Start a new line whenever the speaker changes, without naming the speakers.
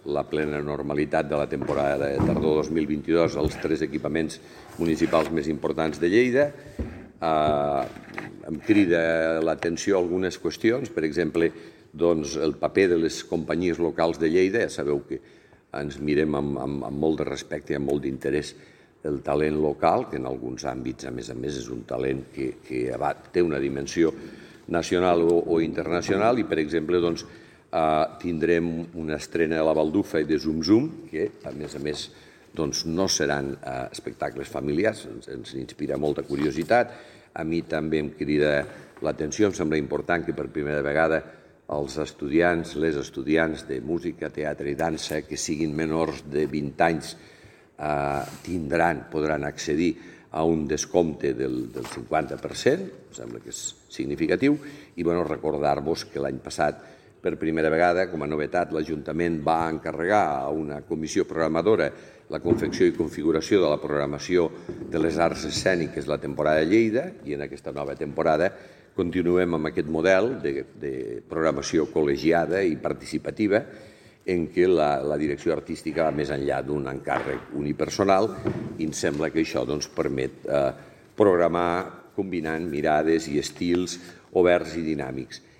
la plena normalitat de la temporada de tardor 2022 als 3 equipaments municipals més importants de Lleida. Em crida l'atenció algunes qüestions, per exemple, el paper de les companyies locals de Lleida. Ja sabeu que ens mirem amb molt de respecte i amb molt d'interès el talent local, que en alguns àmbits, a més, és un talent que té una dimensió nacional o internacional, i, per exemple, tindrem una estrena de la Baldufa i de Zum Zum, que, a més, no seran espectacles familiars, ens inspira molta curiositat. A mi també em crida l'atenció, em sembla important que per primera vegada els estudiants, les estudiants de música, teatre i dansa que siguin menors de 20 anys podran accedir a un descompte del 50%, em sembla que és significatiu, i recordar-vos que l'any passat, per primera vegada, com a novetat, l'Ajuntament va encarregar a una comissió programadora la confecció i configuració de la programació de les arts escèniques de la temporada de Lleida, i en aquesta nova temporada continuem amb aquest model de programació col·legiada i participativa, en què la direcció artística va més enllà d'un encàrrec unipersonal, i em sembla que això permet programar combinant mirades i estils oberts i dinàmics.